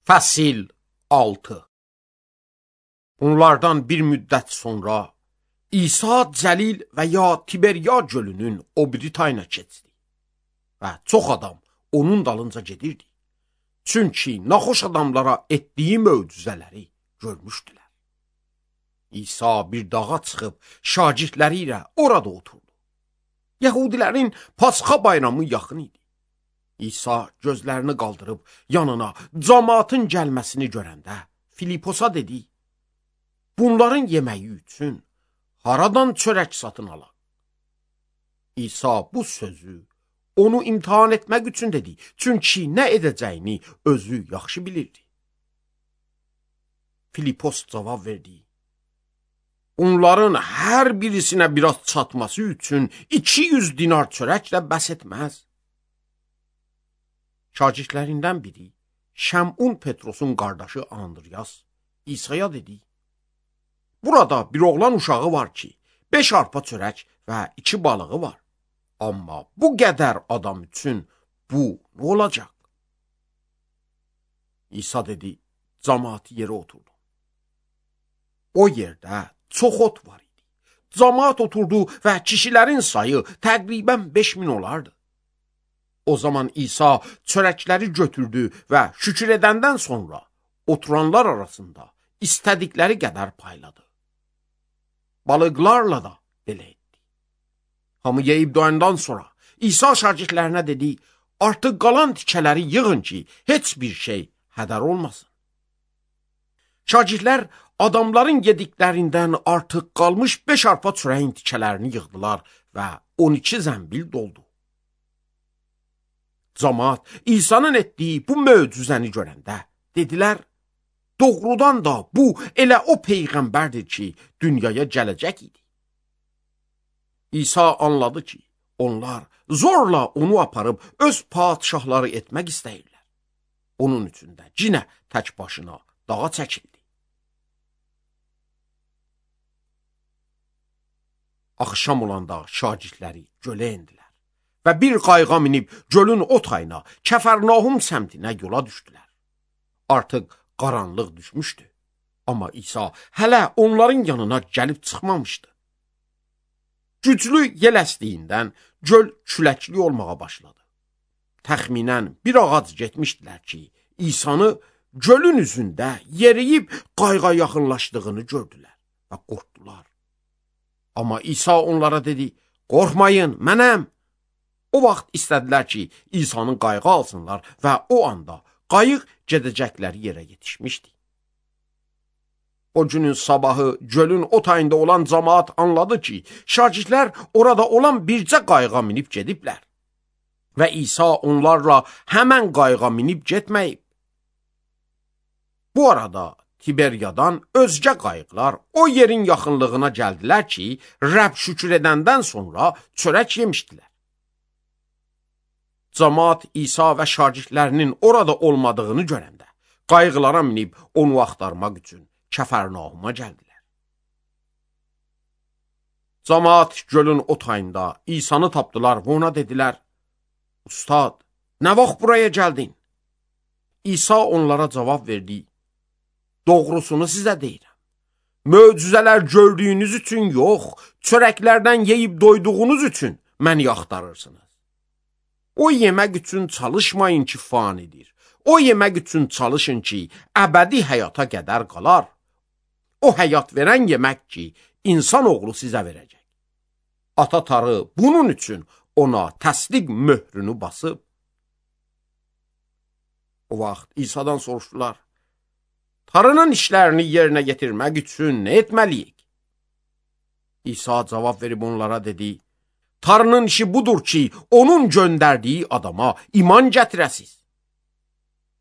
Fəsil 6. Bunlardan bir müddət sonra İsa Cəlil və ya Tiberiya gölünün o biri tayına keçdi və çox adam onun dalınca gedirdi. Çünki naxoş adamlara etdiyi möcüzələri görmüşdülər. İsa bir dağa çıxıb şagirdləri ilə orada oturdu. Yəhudilərin Pasxa bayramı yaxın idi. İsa gözlərini qaldırıb yanına cəmaatın gəlməsini görəndə Filiposa dedi: "Bunların yeməyi üçün haradan çörək satın alaq?" İsa bu sözü onu imtahan etmək üçün dedi, çünki nə edəcəyini özü yaxşı bilirdi. Filipos cavab verdi: "Onların hər birisinə biraz çatması üçün 200 dinar çörəklə bəs etməz." Şagirdlərindən biri, Şəmun Petrosun qardaşı Andriyas, İsa'ya dedi: "Burada bir oğlan uşağı var ki, 5 arpa çörək və 2 balığı var. Amma bu qədər adam üçün bu nə olacaq?" İsa dedi: "Cəmaatı yerə oturdu." O yerdə çox ot var idi. Cəmaat oturdu və kişilərin sayı təqribən 5000 olardı. O zaman İsa çörəkləri götürdü və şükür edəndən sonra oturanlar arasında istədikləri qədər payladı. Balıqlarla da belə etdi. Hamı yeyib doyandan sonra İsa şagirdlərinə dedi: "Artıq qalan tikələri yığın ki, heç bir şey hədər olmasın." Şagirdlər adamların yediklərindən artıq qalmış 5 arpa çörəyin tikələrini yığdılar və 12 zəmbil doldu. Cəmaat İsa'nın etdiyi bu möcüzəni görəndə dedilər: "Doğrudan da bu elə o peyğəmbərdir ki, dünyaya gələcək idi." İsa anladı ki, onlar zorla onu aparıb öz padişahları etmək istəyirlər. Onun üçün də yenə tək başına dağa çəkildi. Axşam olanda şagirdləri gölə endilər və bir qayığa minib gölün o tayına, Kəfərnahum səmtinə yola düşdülər. Artıq qaranlıq düşmüşdü, amma İsa hələ onların yanına gəlib çıxmamışdı. Güclü yel əsdiyindən göl küləkli olmağa başladı. Təxminən bir ağac getmişdilər ki, İsa'nı gölün üzündə yeriyib qayığa yaxınlaşdığını gördülər və qorxdular. Amma İsa onlara dedi: "Qorxmayın, mənəm." O vaxt istədilər ki, İsa'nın qayığı alsınlar və o anda qayıq gedəcəkləri yerə yetişmişdi. O günün sabahı gölün o tayında olan cəmaat anladı ki, şagirdlər orada olan bircə qayığa minib gediblər və İsa onlarla həmən qayığa minib getməyib. Bu arada Tiberiyadan özgə qayıqlar o yerin yaxınlığına gəldilər ki, Rəbb şükür edəndən sonra çörək yemişdilər. Cəmaat İsa və şagirdlərinin orada olmadığını görəndə qayıqlara minib onu axtarmaq üçün Kəfərnahuma gəldilər. Cəmaat gölün o tayında İsa'nı tapdılar və ona dedilər: "Ustad, nə vaxt buraya gəldin?" İsa onlara cavab verdi: "Doğrusunu sizə deyirəm. Möcüzələr gördüyünüz üçün yox, çörəklərdən yeyib doyduğunuz üçün məni axtarırsınız. O yemək üçün çalışmayın ki, fanidir. O yemək üçün çalışın ki, əbədi həyata qədər qalar. O həyat verən yemək ki, insan oğlu sizə verəcək. Ata Tanrı bunun üçün ona təsdiq möhrünü basıb." O vaxt İsa'dan soruşdular: "Tanrının işlərini yerinə yetirmək üçün nə etməliyik?" İsa cavab verib onlara dedi: "Tanrının işi budur ki, onun göndərdiyi adama iman gətirəsiz."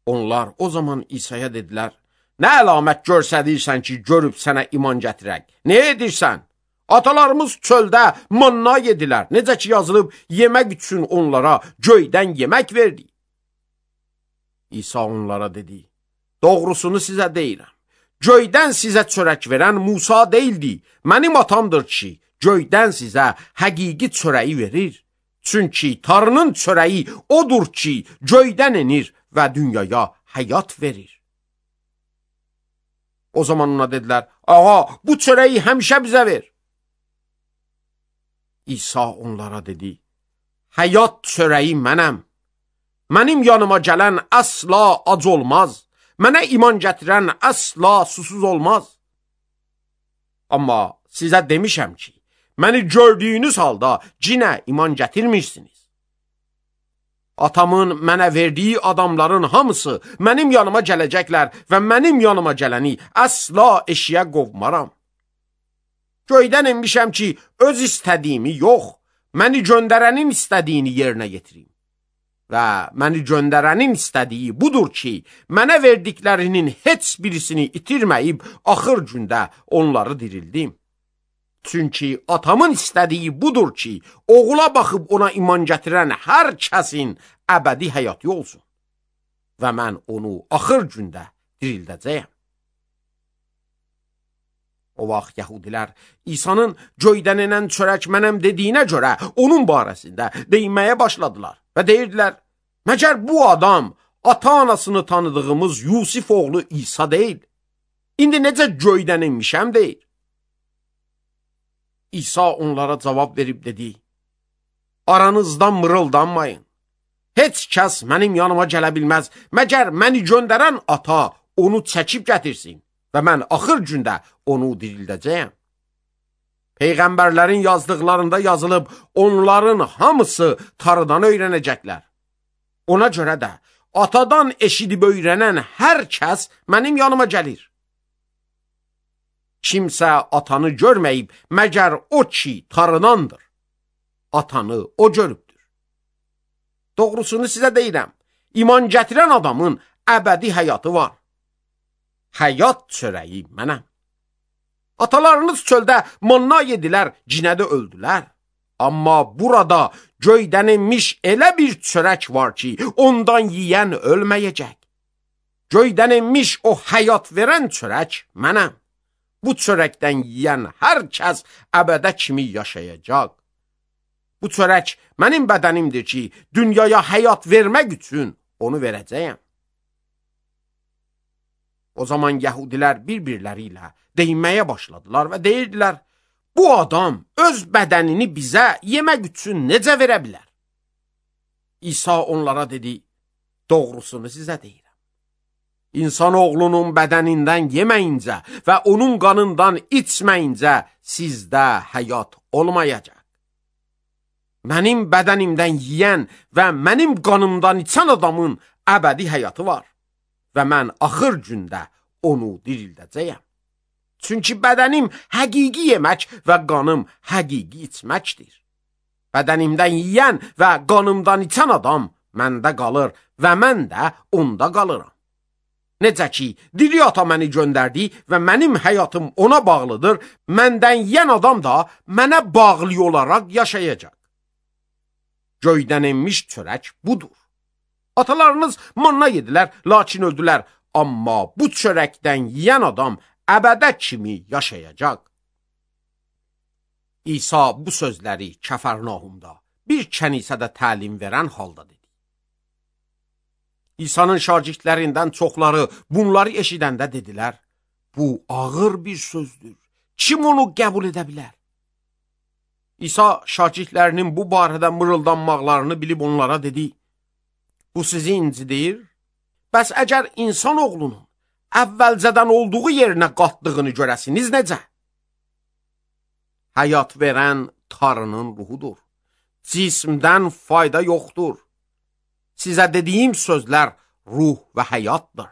Onlar o zaman İsa'ya dedilər: "Nə əlamət görsədirsən ki, görüb sənə iman gətirək? Nə edirsən? Atalarımız çöldə manna yedilər. Necə ki yazılıb, yemək üçün onlara göydən yemək verdi." İsa onlara dedi: "Doğrusunu sizə deyirəm. Göydən sizə çörək verən Musa deyildi. Mənim atamdır ki, göydən sizə həqiqi çörəyi verir. Çünki Tanrının çörəyi odur ki, göydən enir və dünyaya həyat verir." O zaman ona dedilər, ağa, bu çörəyi həmişə bizə ver. İsa onlara dedi, həyat çörəyi mənəm. Mənim yanıma gələn əsla ac olmaz. Mənə iman gətirən əsla susuz olmaz. Amma sizə demişəm ki, məni gördüyünüz halda cinə iman gətirmirsiniz. Atamın mənə verdiyi adamların hamısı mənim yanıma gələcəklər və mənim yanıma gələni əsla eşiyə qovmaram. Göydən enmişəm ki, öz istədiyimi yox, məni göndərənin istədiyini yerinə yetirim. Və məni göndərənin istədiyi budur ki, mənə verdiklərinin heç birisini itirməyib, axır gündə onları dirildim. Çünki atamın istədiyi budur ki, oğula baxıb ona iman gətirən hər kəsin əbədi həyatı olsun. Və mən onu axır gündə dirildəcəyəm. O vaxt yəhudilər İsa'nın göydən enən çörək mənəm dediyinə görə onun barəsində deyinməyə başladılar və deyirdilər, məgər bu adam ata-anasını tanıdığımız Yusif oğlu İsa deyil? İndi necə göydən enmişəm deyir? İsa onlara cavab verib dedi, aranızdan mırıldanmayın. Heç kəs mənim yanıma gələ bilməz, məgər məni göndərən ata onu çəkib gətirsin və mən axır gündə onu dirildəcəyəm. Peyğəmbərlərin yazdıqlarında yazılıb, onların hamısı tarıdan öyrənəcəklər. Ona görə də atadan eşidib öyrənən hər kəs mənim yanıma gəlir. Kimsə atanı görməyib, məgər o ki tarınandır. Atanı o görübdür. Doğrusunu sizə deyirəm, iman gətirən adamın əbədi həyatı var. Həyat çörəyi mənəm. Atalarınız çöldə manna yedilər, cinədə öldülər. Amma burada göydən enmiş elə bir çörək var ki, ondan yiyən ölməyəcək. Göydən enmiş o həyat verən çörək mənəm. Bu çörəkdən yiyən hər kəs əbədə kimi yaşayacaq. Bu çörək mənim bədənimdir ki, dünyaya həyat vermək üçün onu verəcəyəm. O zaman yəhudilər bir-birləri ilə deyinməyə başladılar və deyirdilər, bu adam öz bədənini bizə yemək üçün necə verə bilər? İsa onlara dedi, doğrusunu sizə deyirəm. İnsanoğlunun bədənindən yeməyincə və onun qanından içməyincə sizdə həyat olmayacaq. Mənim bədənimdən yiyən və mənim qanımdan içən adamın əbədi həyatı var və mən axır gündə onu dirildəcəyəm. Çünki bədənim həqiqi yemək və qanım həqiqi içməkdir. Bədənimdən yiyən və qanımdan içən adam məndə qalır və mən də onda qalıram. Necə ki, diri ata məni göndərdi və mənim həyatım ona bağlıdır, məndən yiyən adam da mənə bağlı olaraq yaşayacaq. Göydən enmiş çörək budur. Atalarınız manna yedilər, lakin öldülər. Amma bu çörəkdən yiyən adam əbədə kimi yaşayacaq. İsa bu sözləri Kəfərnahumda bir kənisədə təlim verən halda dedi. İsa'nın şagirdlərindən çoxları bunları eşidəndə dedilər, bu ağır bir sözdür. Kim onu qəbul edə bilər? İsa şagirdlərinin bu barədə mırıldanmaqlarını bilib onlara dedi, bu sizi incidir? Bəs əgər insan oğlunun əvvəlcədən olduğu yerinə qatdığını görəsiniz necə? Həyat verən Tanrının ruhudur. Cismdən fayda yoxdur. Sizə dediyim sözlər ruh və həyatdır.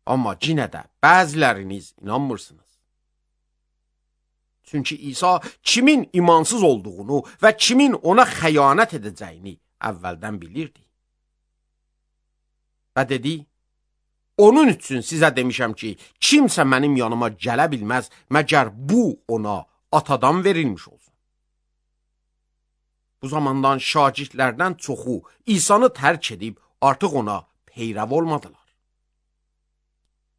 Amma yenə də bəziləriniz inanmırsınız. Çünki İsa kimin imansız olduğunu və kimin ona xəyanət edəcəyini əvvəldən bilirdi. Və dedi, onun üçün sizə demişəm ki, kimsə mənim yanıma gələ bilməz, məgər bu ona atadan verilmiş olsun. Bu zamandan şagirdlərdən çoxu İsa'nı tərk edib artıq ona peyrəv olmadılar.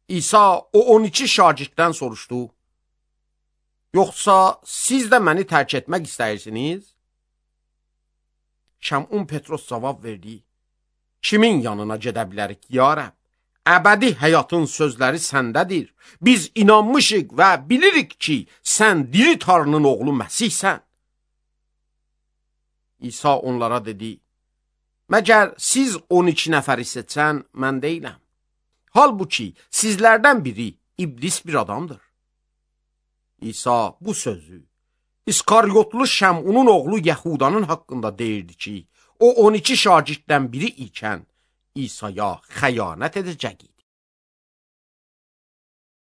İsa o 12 şagirddən soruşdu, yoxsa siz də məni tərk etmək istəyirsiniz? Şəmun Petros cavab verdi, kimin yanına gedə bilərik, ya Rəbb? əbədi həyatın sözləri səndədir. Biz inanmışıq və bilirik ki, sən diri Tanrının oğlu Məsihsən. İsa onlara dedi, məgər siz 12 nəfəri seçən mən deyiləm. Halbuki sizlərdən biri iblis bir adamdır. İsa bu sözü İskaryotlu Şəmunun oğlu Yəhudanın haqqında deyirdi ki, o 12 şagirddən biri ikən İsa'ya xəyanət edəcək idi.